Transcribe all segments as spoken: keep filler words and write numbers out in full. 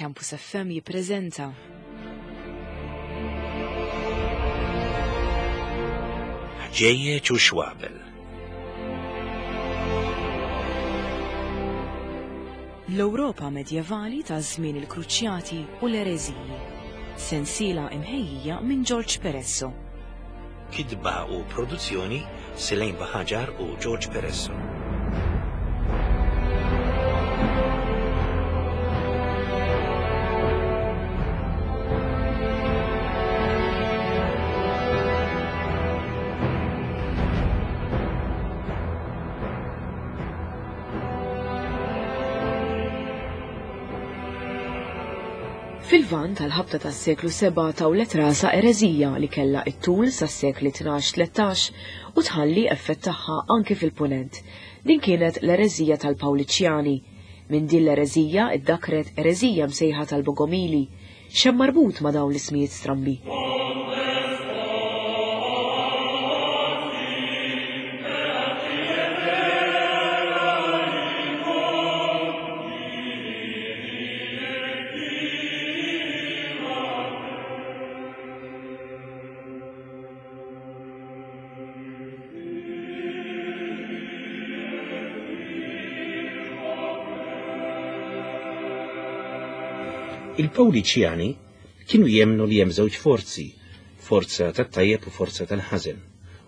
Campus F M jippreżenta Ħġejjeġ u Xwabel. L-Ewropa medjevali ta' żmien il-Kruċjati u l-Ereżiji. Sensiela imħejjija minn George Peresso. Kitba u produzzjoni Selene Baħaġar u George Peresso. Fil-Lvant tal-ħabta tas-seklu seba' tawlet rasa ereżija li kellha t-tul sas-sekli tnax tlettax u tħalli effett tagħha anki fil-Punent. Din kienet l-ereżija tal-Pawliċjani. Minn din l-ereżija iddakret ereżija msejħa tal-Bogomili. X'hemm marbut ma' dawn l-ismijiet strambi? Il-Pawliċjani kienu jemnu li hemm żewġ forzi, forza tat-tajjeb u forza tal-ħażen,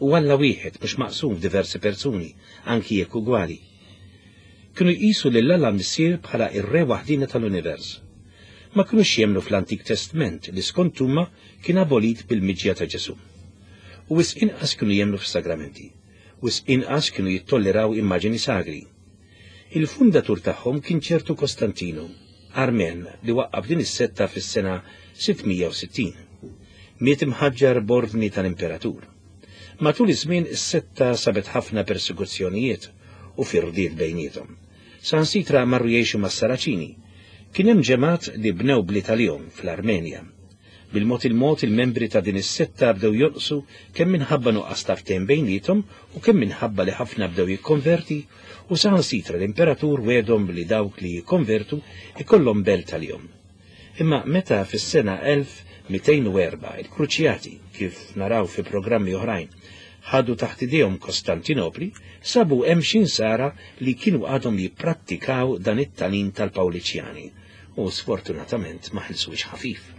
u Alla wieħed mhux maqsum f'diversi persuni, anki jekk ugwali. Kienu jqisu lil Alla Missier bħala ir-re waħdina tal-univers. Ma kinux jemnu fl-Antik Testament li skont huma kien abolit bil-miġja ta' Ġesù. U wisq inqas kienu jemnu fis-sagramenti, wisq inqas kienu jittolleraw immaġini sagri. Il-fundatur tagħhom kien ċertu Kostantinu, Armen, li waqqaf din is-setta fis-sena sittmija u sittin. Miet imħaġġar b'ordni tal-imperatur. Matul iż-żmien is-setta sabet ħafna persekuzzjonijiet u firdiet bejniethom. Sansitra marru jgħixu mas-Saraċini. Kien hemm ġemgħat li bnew bliet għalihom fl-Armenja. Bil-mod il-mod il-membri ta' din is-setta bdew jonqsu kemm minħabba nuqqas ta' ftehim bejniethom u kemm minħabba li ħafna bdew jikkonverti, u saħansitra l-imperatur wedhom li dawk li jikkonvertu ikollhom belt għalihom. Imma meta fis-sena elf mitejn u erba' il-Kruċjati, kif naraw fi programmi oħrajn, ħadu taħt idejhom Kostantinopli, sabu hemm xi nsara li kienu għadhom jipprattikaw dan it-tagħlim tal-Pawliċjani u sfortunatament ma ħelsux ħafif.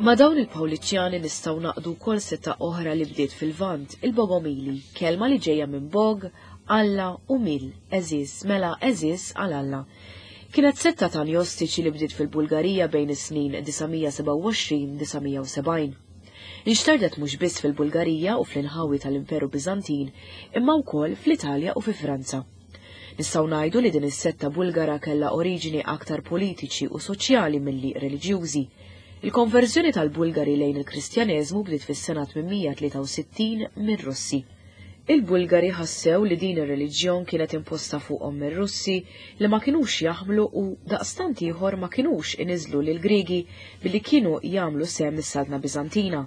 Ma' dawn il-Pawliċjani nistgħu naqdu wkoll setta oħra li bdiet fil-Lvant, il-Bogomili, kelma li ġejja minn Bog, Alla u Mil, eżiż, mela eżiż għal Alla. Kienet setta ta' gnostiċi li bdiet fil-Bulgarija bejn is-snin disa' sebgħa u għoxrin disa' u sebgħin. Inxtardet mhux biss fil-Bulgarija u fl-inħawi tal-Imperu Biżantin, imma wkoll fl-Italja u fi Franza. Nistgħu ngħidu li din is-setta Bulgara kellha oriġini aktar politiċi u soċjali milli reliġjużi. Il-konverżjoni tal-Bulgari lejn il-Kristjaneżmu bdiet fis-sena tmien tlieta u sittin mir-Russi. Il-Bulgari ħassew li din ir-reliġjon kienet imposta fuqhom mir-Russi li ma kinux jaħmlu u daqstant ieħor ma kinux iniżlu lil Griegi billi kienu jagħmlu sehem mis-Saltna Biżantina.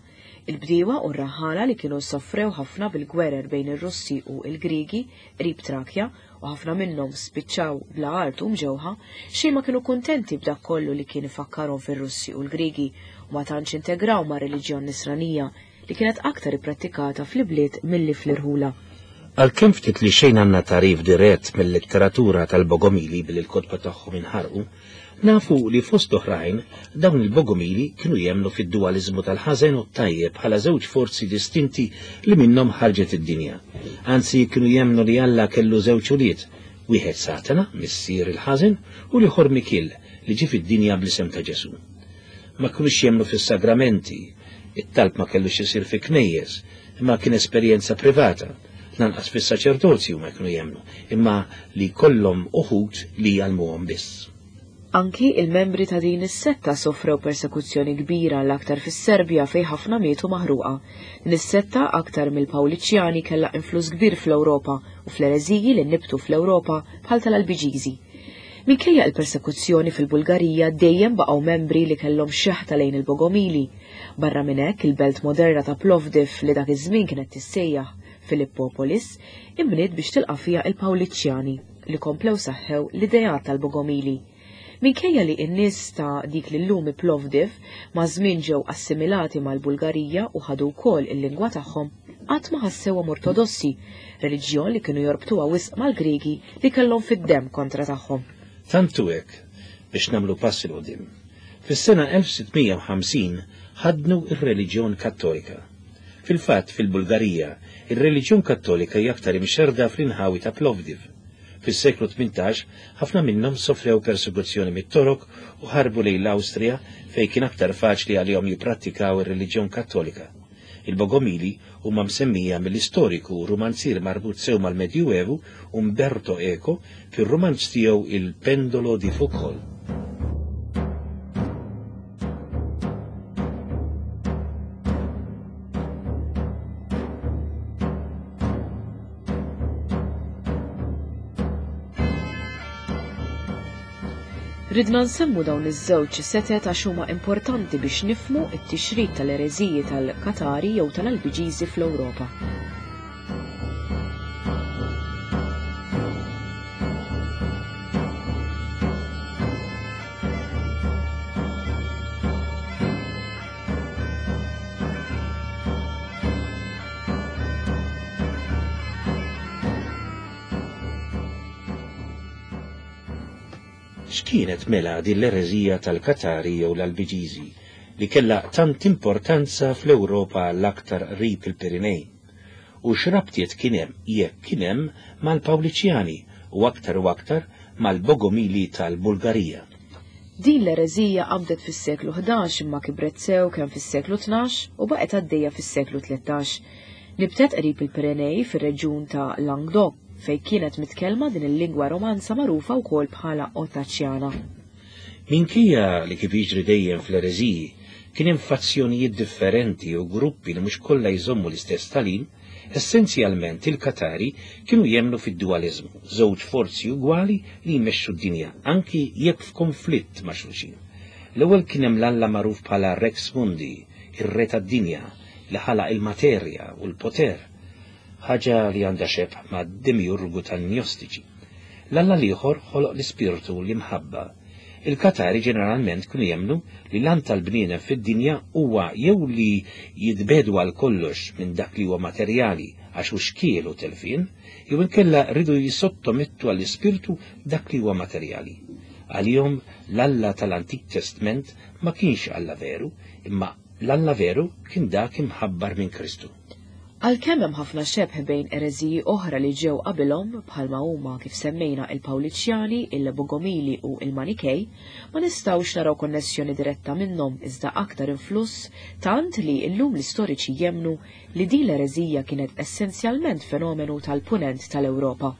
Il-bdiewa u r-raħala li kienu soffrew ħafna bil-gwerer bejn ir-Russi u l-Griegi qrib Trakja u ħafna minnhom spiċċaw bla art u mġewħa, xejn ma kienu kuntenti b'dak kollu li kien ifakkarhom fir-Russi u l-Griegi u ma tantx integraw ma' reliġjon nisranija li kienet aktar ipprattikata fl-ibliet milli fl-irħula. Għalkemm ftit li xejn għandna tagħrif dirett mill-letteratura tal-Bogomili billi l-kotba tagħhom inħarqu, nafu li fost oħrajn dawn il-Bogomili kienu jemmnu fid-dualizmu tal-ħażen u t-tajjeb bħala żewġ forzi distinti li minnhom ħarġet id-dinja. Anzi kienu jemmnu li Alla kellu żewġ ulied, wieħed Satana, missier il-ħażen, u l-ieħor Mikiel li ġie fid-dinja bl-isem ta' Ġesù. Ma kinux jemmnu fis-sagramenti, it-talb ma kellux isir fi knejjes, imma kien esperjenza privata, lanqas fis-saċerdozju ma kienu jemmnu, imma li kollhom uħud li jgħallmuhom biss. Anki il-membri ta' din is-setta sofrew persekuzzjoni kbira l-aktar fis-Serbja fejn ħafna mietu maħruqa. Din is-setta aktar mill-Pawliċjani kellha influss kbir fl-Ewropa u fl-ereżiji li nibtu fl-Ewropa bħal tal-Albiġiżi. Minkejja l-persekuzzjoni fil-Bulgarija dejjem baqgħu membri li kellhom xeħta lejn il-Bogomili. Barra minn hekk il-belt moderna ta' Plovdiv li dak iż-żmien kienet tissejjaħ Filippopolis inbniet biex tilqa' fiha il-Pawliċjani li komplew saħħew l-ideat tal-Bogomili. Minkejja li n-nies ta' dik li llum Plovdiv maż-żmien ġew assimilati mal-Bulgarija u ħadu wkoll il-lingwa tagħhom, qatt ma ħassewhom ortodossi, reliġjon li kienu jorbtuha wisq mal-Griegi li kellhom fid-demm kontra tagħhom. Tant hu hekk biex nagħmlu pass 'il quddiem. Fis-sena elf sitt mija u ħamsin ħadnu r-reliġjon Kattolika. Fil-fatt fil-Bulgarija, ir-reliġjon Kattolika hija aktar imxerrda fl-inħawi ta' Plovdiv. Fis-seklu tmintax ħafna minnhom sofrew persekuzzjoni mit-Torok u ħarbu lejn l-Awstrija fejn kien aktar faċli għalihom jipprattikaw ir-reliġjon Kattolika. Il-Bogomili huma msemmija mill-istoriku u rumanzier marbut sew mal-Medjuevu Umberto Eco fir-rumanz tiegħu Il Pendolo di Foucault. Ridna nsemmu dawn iż-żewġ setet għax huma importanti biex nifhmu t-tixrid tal-ereżiji tal-Katari jew tal-Albiġiżi fl-Ewropa. X'kienet mela din l-ereżija tal-Katari jew l-Albiġiżi li kellha tant importanza fl-Ewropa l-aktar qrib il-Pirinej? U x'rabtiet kien hemm jekk kien hemm mal-Pawliċjani u aktar u aktar mal-Bogomili tal-Bulgarija? Din l-ereżija qabdet fis-seklu ħdax imma kibret sew kemm fis-seklu tnax u baqgħet għaddejja fis-seklu tlettax. Nibtet qrib il-Pirinej fir-reġjun ta' Languedoc fejn kienet mitkellma din il-lingwa romanza magħrufa wkoll bħala Otaċjana. Minkejja li kif jiġri dejjem fl-ereżiji kien hemm fazzjonijiet differenti u gruppi li mhux kollha jżommu l-istess tagħlim, essenzjalment il-Katari kienu jemmnu fid-dualizmu, żewġ forzi ugwali li jmexxu d-dinja, anki jekk f'konflitt ma' xulxin. L-ewwel kien hemm l-Alla magħruf bħala Rex Mundi, ir-re tad-dinja, li ħalaq il-materja u l-poter, ħaġa li għandha xebh ma' demiurgu tan-gnostiċi. L-Alla l-ieħor ħoloq l-ispirtu u l-imħabba. Il-Katari ġeneralment kienu jemmnu li l-għan tal-bniedem fid-dinja huwa jew li jitbedu għal kollox minn dak li huwa materjali għax hu xkiel u telfien, jew inkella rridu jisottomettu għall-ispirtu dak li huwa materjali. Għalihom l-Alla tal-Antik Testament ma kienx Alla veru, imma l-Alla veru kien dak imħabbar minn Kristu. Għalkemm hemm ħafna xebh bejn ereżiji oħra li ġew qabilhom bħalma huma kif semmejna il-Pawliċjani, il-Bogomili u il-Manikej, ma nistgħux naraw konnessjoni diretta minnhom iżda aktar influss tant li llum l-istoriċi jemmnu li din l-ereżija kienet essenzjalment fenomenu tal-punent tal-Ewropa.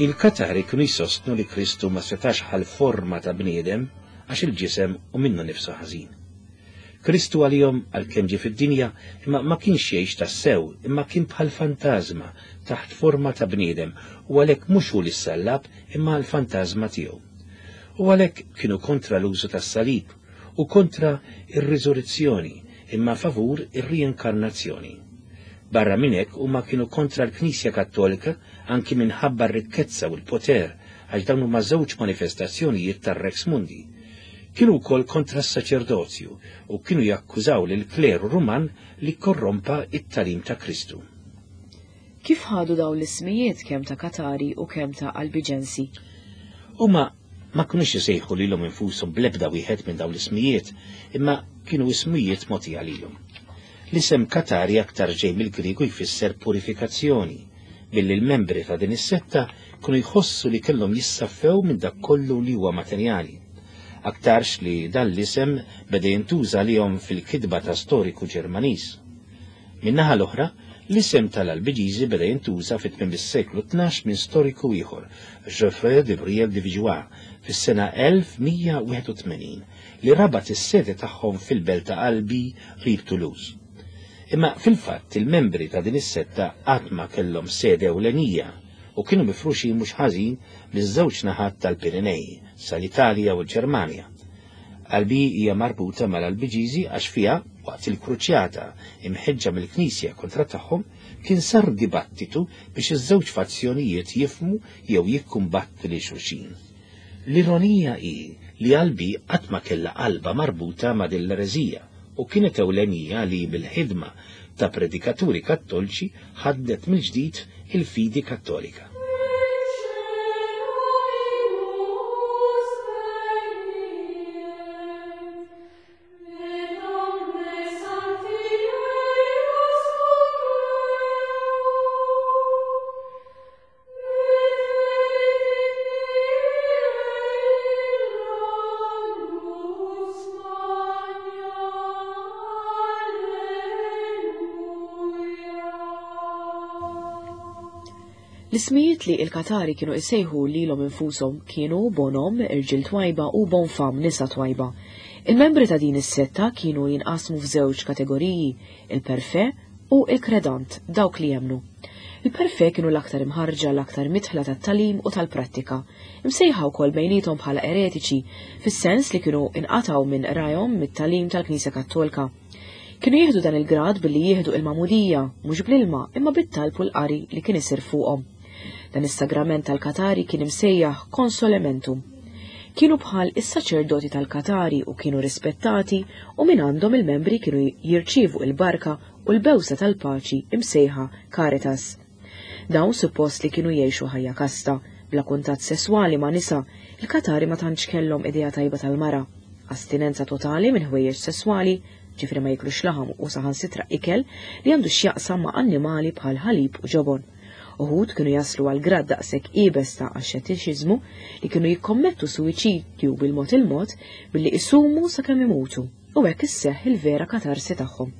Il-Katari kienu jsostnu li Kristu ma setax ħal forma ta' bniedem għax il-ġisem u minnu nifsu ħażin. Kristu għalihom għalkemm ġie fid-dinja imma ma kienx jgħix tassew, imma kien bħal fantażma taħt forma ta' bniedem u għalhekk mhux hu li ssallab imma l-fantażma tiegħu. U għalhekk kienu kontra l-użu tas-salib u kontra ir-riżurrezzjoni, imma favur ir-riinkarnazzjoni. Barra minn hekk huma kienu kontra l-Knisja Kattolika anki minħabba r-rikkezza u l-poter, għax dawn huma żewġ manifestazzjonijiet tar-Rex Mundi. Kienu wkoll kontra s-saċerdozju u kienu jakkużaw lil kleru Ruman li korrompa it-tagħlim ta' Kristu. Kif ħadu dawn l-ismijiet kemm ta' Katari u kemm ta' Albiġensi? Huma ma kinux isejħu lilhom infushom bl-ebda wieħed minn dawn l-ismijiet, imma kienu ismijiet mogħtija lilhom. L-isem Katari aktar ġej mill-Griegu jfisser purifikazzjoni, billi l-membri ta' din is-setta kienu jħossu li kellhom jissaffew minn dak kollu li huwa materjali. Aktarx li dan l-isem beda jintuża lihom fil-kitba ta' storiku Ġermaniż. Min-naħa l-oħra, l-isem tal-Albiġiżi beda jintuża fit-tmiem is-seklu tnax minn storiku ieħor, Geoffrey de Briel de Vigeois, fis-sena elf mija wieħed u tmenin, li rabat is-sede tagħhom fil-belt ta' Albi qrib Toulouse. Imma fil-fatt il-membri ta' din is-setta qatt ma kellhom sede ewlenija u kienu mifruxin mhux ħażin miż-żewġ naħat tal-Pirinej, sal-Italja u l-Ġermanja. Albi hija marbuta mal-Albiġiżi għax fiha, waqt il-kruċjata imħeġġa mill-Knisja kontra tagħhom, kien sar dibattitu biex iż-żewġ fazzjonijiet jifhmu jew jikkumbattu lil xulxin. L-ironija hi li Albi qatt ma kellha qalba marbuta ma' din l-ereżija u kienet ewlenija li bil-ħidma ta' predikaturi kattoliċi ħaddet mill-ġdid il-fidi kattolika. L-ismijiet li il-Katari kienu isejħu lilhom infushom kienu Bonom, irġiel twajba, u Bonfam, nisa twajba. Il-membri ta' din is-setta kienu jinqasmu f'żewġ kategoriji, il-perfe u il-kredant, dawk li jemnu. Il-perfe kienu l-aktar imħarġa, l-aktar mitħla tat-talim u tal-prattika. Imsejħa wkoll bejniethom bħala eretiċi, fis-sens li kienu inqataw minn rajhom mit-talim tal-Knisja Kattolika. Kienu jieħdu dan il-grad billi jieħdu il-magħmudija, mhux bl-ilma, imma bit-talb u l-qari li kien isir fuqhom. Dan is-sagrament tal-Katari kien imsejjaħ consolamentum. Kienu bħal is-saċerdoti tal-Katari u kienu rispettati u minn għandhom il-membri kienu jirċievu il-barka u l-bewsa tal-paċi imsejħa Caritas. Dawn suppost li kienu jgħixu ħajja kasta, bla kuntatt sesswali ma' nisa, il-Katari ma tantx kellhom idea tajba tal-mara. Astinenza totali minn ħwejjeġ sesswali, ġifri ma jiklux laħam u saħansitra ikel li għandu x'jaqsam ma' annimali bħal ħalib u ġobon. Uħud kienu jaslu għal grad daqshekk iebes ta' axxetiċiżmu li kienu jikkommettu suwiċidju bil-mod il-mod billi isumu sakemm imutu, u hekk isseħħ il-vera katarsi tagħhom.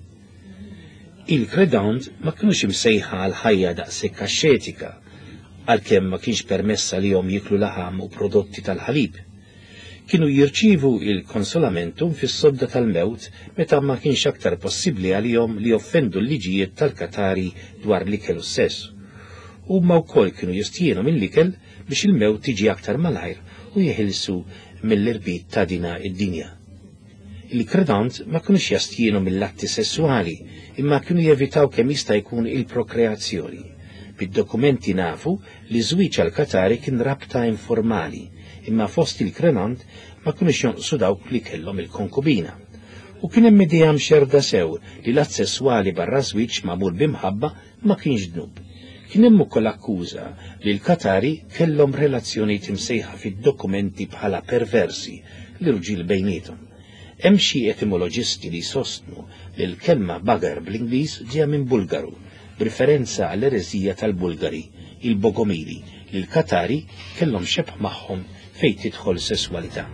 Il-kredant ma kinux imsejħa għal ħajja daqshekk axxetika, għalkemm ma kienx permessa li jom jiklu laħam u prodotti tal-ħalib. Kienu jirċivu il-konsolamentum fis-sodda tal-mewt meta ma kienx aktar possibbli għalihom li joffendu l-liġijiet tal-Katari dwar l-ikel u s-sess. Huma wkoll kienu jistjienu mill-ikel biex il-mewt tiġi aktar malajr u jeħilsu mill-irbit ta' dina id-dinja. Il-kredant ma kinux jastjienu mill-atti sessuali, imma kienu jevitaw kemm jista' jkun il-prokreazzjoni. Bid-dokumenti nafu li żwieġ għal-Katari kien rabta informali, imma fost il-kredant ma kinux jonqsu dawk li kellhom il-konkubina. U kien hemm idea mxerda sew li l-att sesswali barra żwieġ magħmul b'imħabba ma kienx dnub. Kien hemm ukoll akkuża li l-Katari kellhom relazzjonijiet imsejħa fid-dokumenti bħala perversi l-irġiel bejniethom. Hemm xi etimoloġisti li jsostnu li l-kelma bagar bl-Ingliż ġejja minn Bulgaru, b'riferenza għall-ereżija tal-Bulgari, il-Bogomili, li l-Katari kellhom xebh magħhom fejn tidħol sesswalità.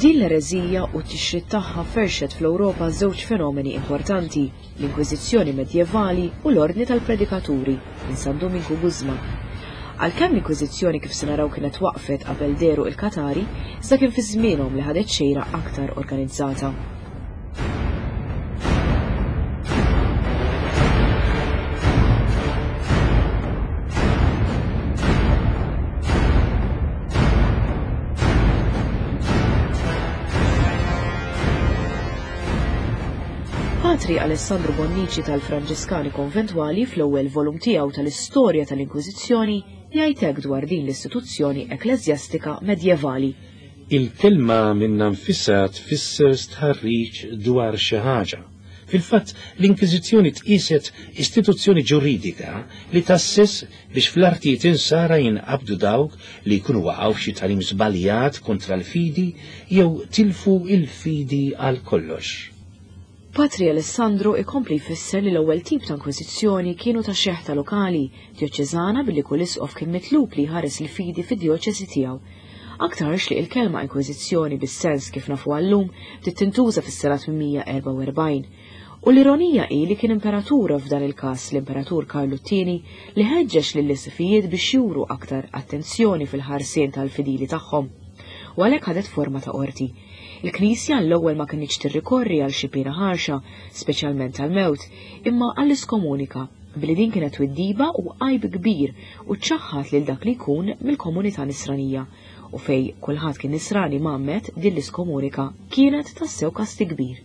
Din l-ereżija u t-tixrid tagħha ferxet fl-Ewropa żewġ fenomeni importanti, l-Inkwiżizzjoni medjevali u l-Ordni tal-Predikaturi minn San Dominku Guzman. Għalkemm l-Inkwiżizzjoni kif se naraw kienet waqfet qabel deru il-Katari, iżda kien fi żmienhom li ħadet xejra aktar organizzata. Patri Alessandro Bonnici tal-Franġiskani Konventwali fl-ewwel volum tiegħu tal-Istorja tal-Inkwiżizzjoni jgħid hekk dwar din l-istituzzjoni ekkleżjastika medjevali. Il-kelma minnha nfisha tfisser stħarriġ dwar xi ħaġa. Fil-fatt, l-Inkwiżizzjoni tqiset istituzzjoni ġuridika li tasses biex fl-artijiet insara jinqabdu dawk li jkunu waqgħu f'xi tagħlim żbaljat kontra l-fidi jew tilfu il-fidi għal kollox. Patri Alessandro ikompli jfisser li l-ewwel tip ta' inkwiżizzjoni kienu ta' xeħta lokali, djoċeżana, billi kull isqof kien mitlub li jħares il-fidi fid-djoċesi tiegħu. Aktarx li il-kelma inkwiżizzjoni bis-sens kif nafu għallum bdiet tintuża fis-sena tmien mija erbgħa u erbgħin. U l-ironija hi li kien imperatur f'dan il-każ, l-Imperatur Karlu t-tieni, li ħeġġeġ lill-isqfijiet biex juru aktar attenzjoni fil-ħarsien tal-fidili tagħhom. U għalhekk ħadet forma ta' qorti. Il-Knisja l-ewwel ma kinitx tirrikorri għal xi piena ħarxa, speċjalment tal-mewt, imma għall-iskomunika, billi din kienet twiddiba u għajb kbir u ċaħħat lil dak li jkun mill-komunità nisranija. U fej kulħadd kien nisrani mgħammed, din l-iskomunika kienet tassew kasti kbir.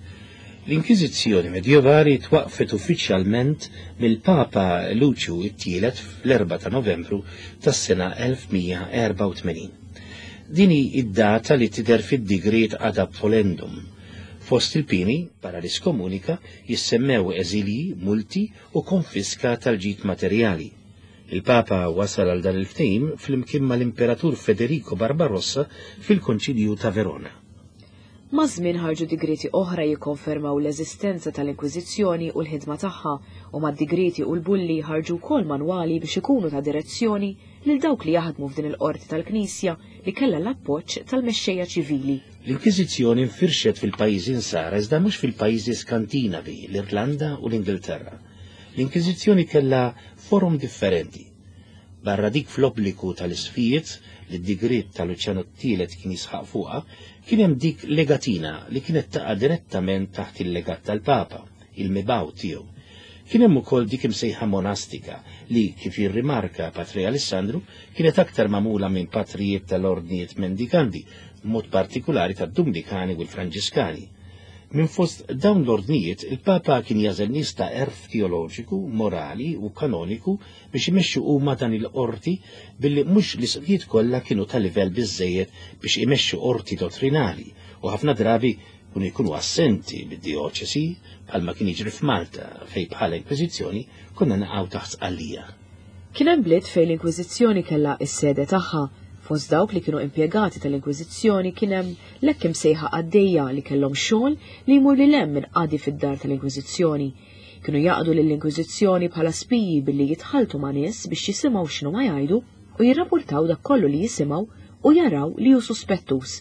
L-Inkwiżizzjoni medjevali twaqfet uffiċjalment mill-Papa Luċju t-tielet fl-erbgħa ta' Novembru tas-sena elf mija erbgħa u tmenin. Din hi id-data li tidher fid-digriet ad abolendum. Fost il-pini, barra l-iskomunika, jissemmew eżilji, multi u konfiska tal-ġid materjali. Il-Papa wasal għal dan il-ftehim flimkien mal-Imperatur Federico Barbarossa fil-Konċilju ta' Verona. Maż-żmien ħarġu digrieti oħra jikkonfermaw l-eżistenza tal-Inkwiżizzjoni u l-ħidma tagħha, u mad-digrieti u l-bulli ħarġu wkoll manwali biex ikunu ta' direzzjoni lil dawk li jaħdmu f'din il-qorti tal-Knisja li kellha l-appoġġ tal-mexxejja ċivili. L-Inkwiżizzjoni nfirxet fil-pajjiżi nsara iżda mhux fil-pajjiżi Skandinavi, l-Irlanda u l-Ingilterra. L-Inkwiżizzjoni kellha forum differenti. Barra dik fl-obbligu tal-isfijiet li d-digriet tal-Luċjanu t-tielet kien jisħaq fuqha, kien hemm dik legatina li kienet taqa' direttament taħt il-legat tal-Papa, il-mibaw tiegħu. Kien hemm ukoll dik imsejħa monastika li, kif jirrimarka Patri Alessandru, kienet aktar magħmula minn patrijiet tal-ordnijiet mendikanti, b'mod partikolari tad-Dumnikani u l-Franġiskani. Minn fost dawn l-ordnijiet, il-Papa kien jażel nies ta' għerf teoloġiku, morali u kanoniku biex imexxu huma dan il-qorti, billi mhux l-isqfijiet kollha kienu ta' livell biżżejjed biex imexxu qorti dottrinali, u ħafna drabi kienu jkunu assenti bid-dioċesi bħalma kien jiġri f'Malta fejn bħala Inkwiżizzjoni konna naqgħu taħt Sqallija. Kien hemm bliet fejn l-Inkwiżizzjoni kellha s-sede tagħha. Fost dawk li kienu impjegati tal-Inkwiżizzjoni kien hemm l-hekk imsejħa qaddejja li kellhom xogħol li jmur lil hemm minn qadi fid-dar tal-Inkwiżizzjoni. Kienu jaqdu lill-Inkwiżizzjoni bħala spiji billi jitħaltu ma' nies biex jisimgħu x'inhu ma jgħidu u jirrapportaw dak kollu li jisimgħu u jaraw li hu suspettus.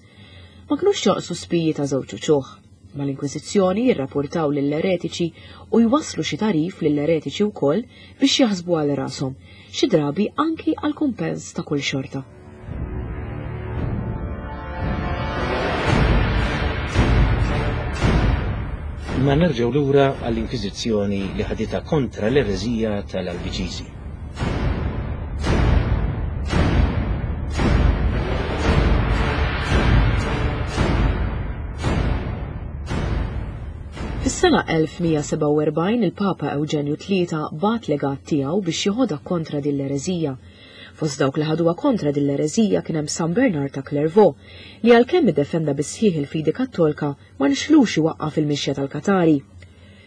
Ma kinux joqsu spiji ta' żewġ uċuħ. Mal-Inkwiżizzjoni jirrapportaw lill-eretiċi u jwasslu xi tarif lill-eretiċi wkoll biex jaħsbu għal rashom, xi drabi anki għal kumpens ta' kull xorta. Ma nerġgħu lura għall-Inkwiżizzjoni li ħaditha kontra l-ereżija tal-Albiġiżi. Fis-sena elf mija sebgħa u erbgħin il-Papa Ewġenju tlieta bagħat legat tiegħu biex joħodha kontra din l-ereżija. Fost dawk li ħaduha kontra din l-ereżija kien hemm San Bernard ta' Clairvaux, li għalkemm iddefenda bisħieħ il-fidi kattolka ma nxlux iwaqqaf il-mixja tal-Katari.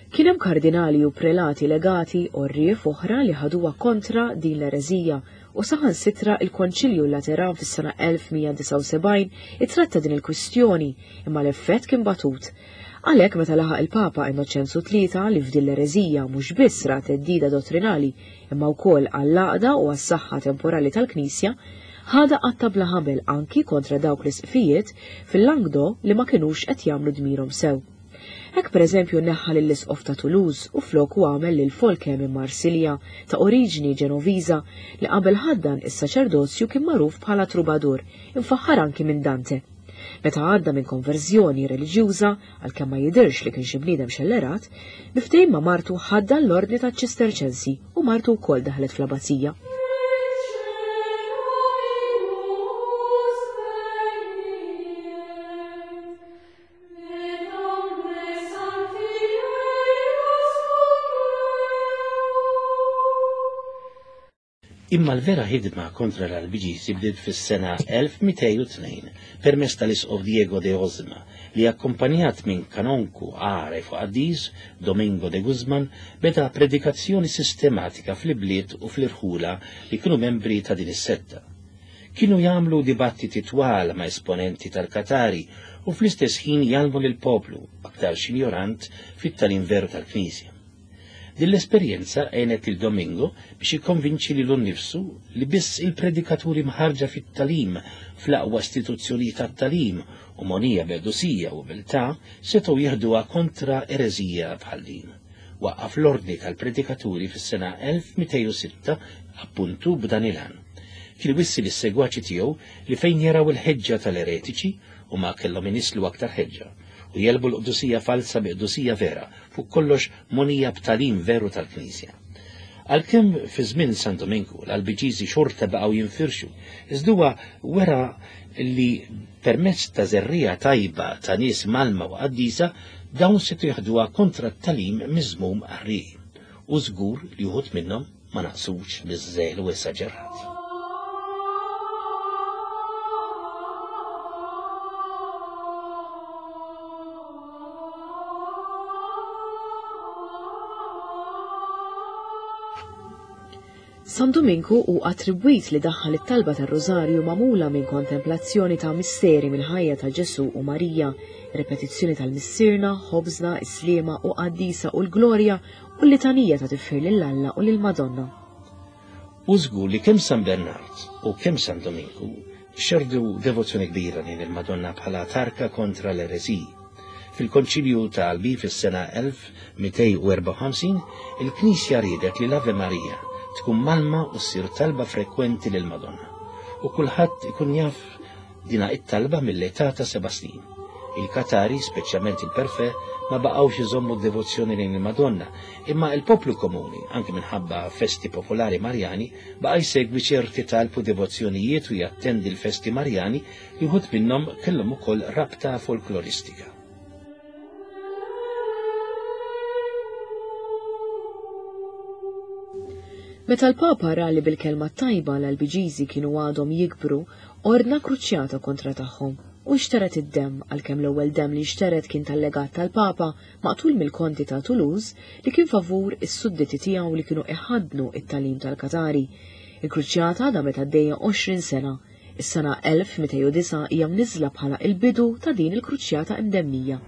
Kien hemm kardinali u prelati legati u rrief oħra li ħaduha kontra din l-ereżija, u saħansitra il-Konċilju Lateran fis-sena elf mija disgħa u sebgħin ittratta din il-kwistjoni, imma l-effett kien batut. Għalhekk meta laħaq il-Papa Innoċenzu tlieta li f'din l-ereżija mhux biss ra theddida dottrinali imma wkoll għall-għaqda u għas-saħħa temporali tal-Knisja, ħadha qatta bla ħabel anki kontra dawk l-isqfijiet fil-Languedoc li ma kinux qed jagħmlu dmirhom sew. Hekk pereżempju neħħa lill-isqof ta' Toulouse u floku għamel lil Folke minn Marsilja ta' oriġini Ġenoviża li qabel ħaddan is-saċerdozju kien magħruf bħala trubadur, imfaħħar anki minn Dante. Meta għadda minn konverżjoni reliġjuża, għalkemm ma jidhirx li kien xi bniedem xellerat, bi ftehim ma' martu ħaddan l-ordni taċ-Ċisterċensi u martu wkoll daħlet fl-abbazija. Imma l-vera ħidma kontra l-Albiġiżi bdiet fis-sena elf mitejn u tnejn permezz tal-Isqof Diego de Osma li akkompanjat minn kanonku għaref u qaddis Domingo de Guzman beda predikazzjoni sistematika fl-ibliet u fl-irħula li kienu membri ta' din is-setta. Kienu jagħmlu dibattiti twal ma' esponenti tal-Katari u fl-istess ħin jgħallmu lill-poplu aktar xinjorant fit-tagħlim veru tal-Knisja. Din l-esperjenza għenet lil Domingo biex jikkonvinċi lilu nnifsu li biss il-predikaturi mħarġa fit-talim fl-aqwa istituzzjonijiet tat-talim u monija b'qdusija u umiltà setgħu jieħduha kontra ereżija bħal din. Waqqaf l-ordni tal-predikaturi fis-sena elf mitejn u sitta appuntu b'dan il-għan. Kien wissi lis-segwaċi tiegħu li fejn jaraw il-ħeġġa tal-eretiċi u ma kellhom inislu aktar ħeġġa u jelbu l-qdusija falsa bi qdusija vera, fuq kollox monija b'talim veru tal-Knisja. Għalkemm fi żmien San Dominku l-Albiġiżi xorta baqgħu jinfirxu, iżda huwa wera li permezz ta' żerriegħa tajba ta' nies malma u qaddisa dawn setgħu jaħduha kontra t-talim miżmum qarrieqi. U żgur li wħud minnhom ma naqsux biż-żelu esaġerat. San Dominku hu attribwit li daħħal it-talba tar-Rożarju magħmula minn kontemplazzjoni ta' misteri mill-ħajja ta' Ġesu u Marija, repetizzjoni tal-Missierna, Ħobżna, Is-Sliema u Qaddisa u l-Glorja u l-litanija ta' tifħir lil Alla u lil Madonna. U żgur li kemm San Bernard u kemm San Dominku xerdu devozzjoni kbira lejn il-Madonna bħala tarka kontra l-ereżiji. Fil-Konċilju ta' Albi fis-sena elf mitejn u erbgħa u ħamsin, il-Knisja riedet li l-Ave Maria tkun malma u ssir talba frekwenti lil Madonna. U kulħadd ikun jaf dina it-talba mill-età ta' seba' snin. Il-Katari, speċjalment il-Perfè, ma baqgħux iżommu d-devozzjoni lejn il-Madonna, imma il-poplu komuni, anke minħabba festi popolari Marjani, baqa' jsegwi ċerti talb u devozzjonijiet u jattendi l-festi Marjani li wħud minnhom kellhom ukoll rabta folkloristika. Meta l-Papa ra li bil-kelma tajba l-Albiġiżi kienu għadhom jikbru, ordna kruċjata kontra tagħhom u xteret id-demm, għalkemm l-ewwel demm li xteret kien tal-legat tal-Papa maqtul mill-Konti ta' Toulouse li kien favur is-sudditi tiegħu li kienu iħaddnu it-talim tal-Katari. Il-kruċjata damet għaddejja għoxrin sena. Is-sena elf mitejn u disgħa hija mniżla bħala il-bidu ta' din il-kruċjata imdemmija.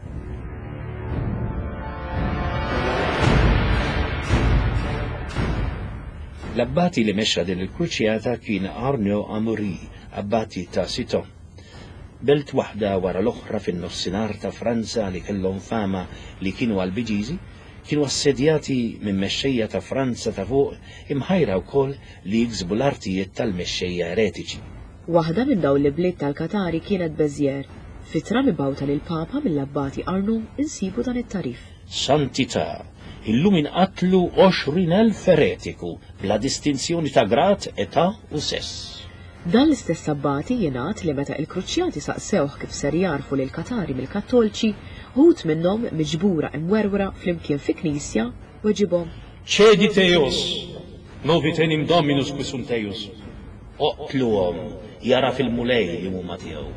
L-abbati li mexxa din il-kruċjata kien Arnaud Amaury, abbati ta' Citeaux. Belt waħda wara l-oħra fin-nofsinhar ta' Franza li kellhom fama li kienu Albiġiżi, kienu assedjati minn mexxejja ta' Franza ta' fuq imħajra wkoll li jiksbu l-artijiet tal-mexxejja eretiċi. Waħda minn dawn l-ibliet tal-Katari kienet Béziers. Fitra mibgħuta lil Papa mill-abbati Arnaud insibu dan it-tarif. Santità, illum inqatlu għoxrin elf eretiku bla distinzjoni ta' grad, età u sess. Dan l-istess abbati jingħad li meta il-kruċjati saqsewh kif ser jarfu lil Katari mill-Kattolċi, wħud minnhom miġbura imwerwra flimkien fi knisja weġibhom. Cedite eos, novit enim Dominus qui sunt eius. Oqtluhom, jara fil-Mulej li huma tiegħu.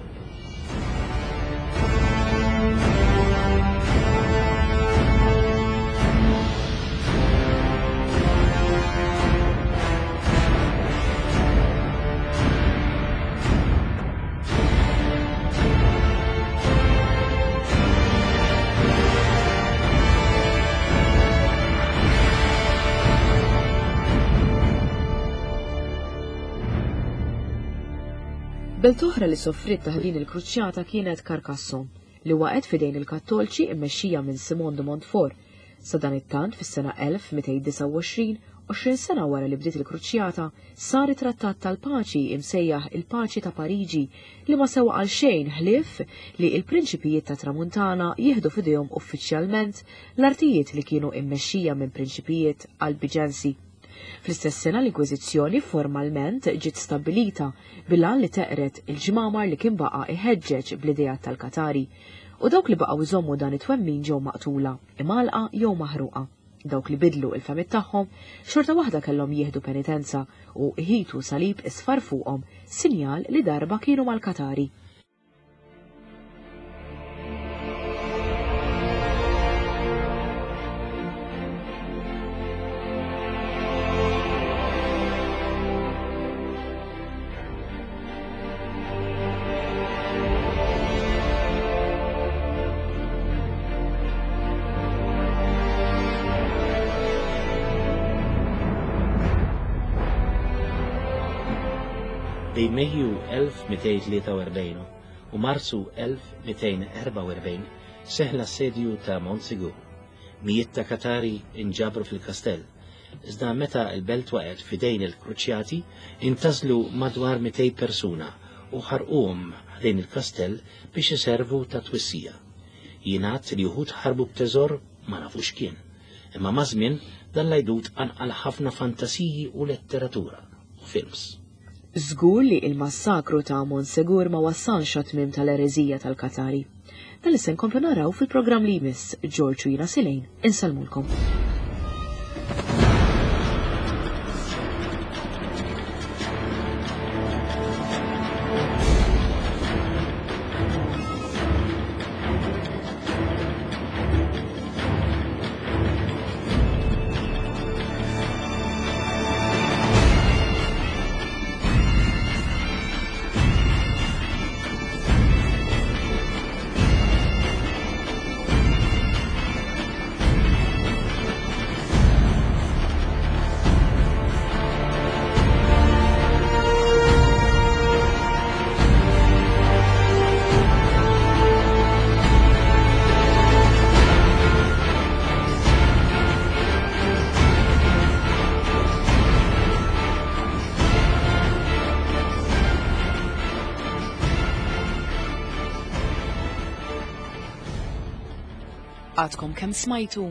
Belt oħra li soffriet taħt din il-kruċjata kienet Carcassonne, li waqgħet f'idejn il-Kattolċi immexxija minn Simon de Montfort. Sa dan it-tant fis-sena elf mitejn disgħa u għoxrin, għoxrin sena wara li bdiet il-kruċjata, sar it-Trattat tal-Paċi imsejjaħ il-Paċi ta' Pariġi li ma sewa għal xejn ħlief li l-prinċipijiet ta' Tramuntana jieħdu f'idejhom uffiċjalment l-artijiet li kienu immexxija minn prinċipijiet Albiġensi. Fl-istess sena l-Inkwiżizzjoni formalment ġiet stabbilita bil-għan li teqret il-ġmamar li kien baqa' iħeġġeġ bl-idea tal-Katari, u dawk li baqgħu jżommu dan it-twemmin ġew maqtula, imgħalqa jew maħruqa. Dawk li bidlu il-fehmiet tagħhom xorta waħda kellhom jieħdu penitenza u jħitu salib isfar fuqhom, sinjal li darba kienu mal-Katari. Bejn Mejju elf mitejn tlieta u erbgħin u Marzu elf mitejn erbgħa u erbgħin seħħ l-assedju ta' Montsegur. Mijiet ta' Katari inġabru fil-kastell. Iżda meta l-belt waqgħet f'idejn il-Kruċjati, intażlu madwar mitejn persuna u ħarquhom ħdejn il-kastell biex iservu ta' twissija. Jingħad li wħud ħarbu b'teżor ma nafux kien. Imma maż-żmien dan l-għajdut qanqal ħafna fantasiji u letteratura u films. Żgur li il-massakru ta' Montsegur ma wassalx għat-tmiem tal-ereżija tal-Katari. Dan li se nkomplu naraw fil-programm li jmiss. George u jiena Silejn insellmulkom. Għadkom kemm smajtu?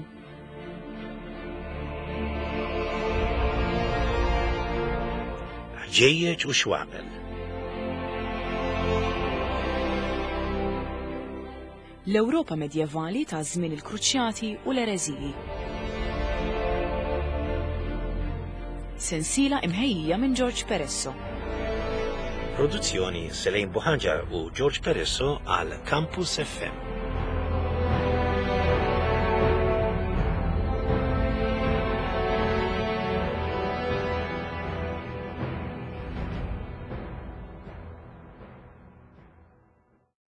Ħġejjeġ u xwabel. L-Ewropa medjevali ta' żmien il-Kruċjati u l-ereżiji. Sensiela imħejjija minn George Peresso. Produzzjoni Selene Buhaġar u George Peresso għal Campus F M.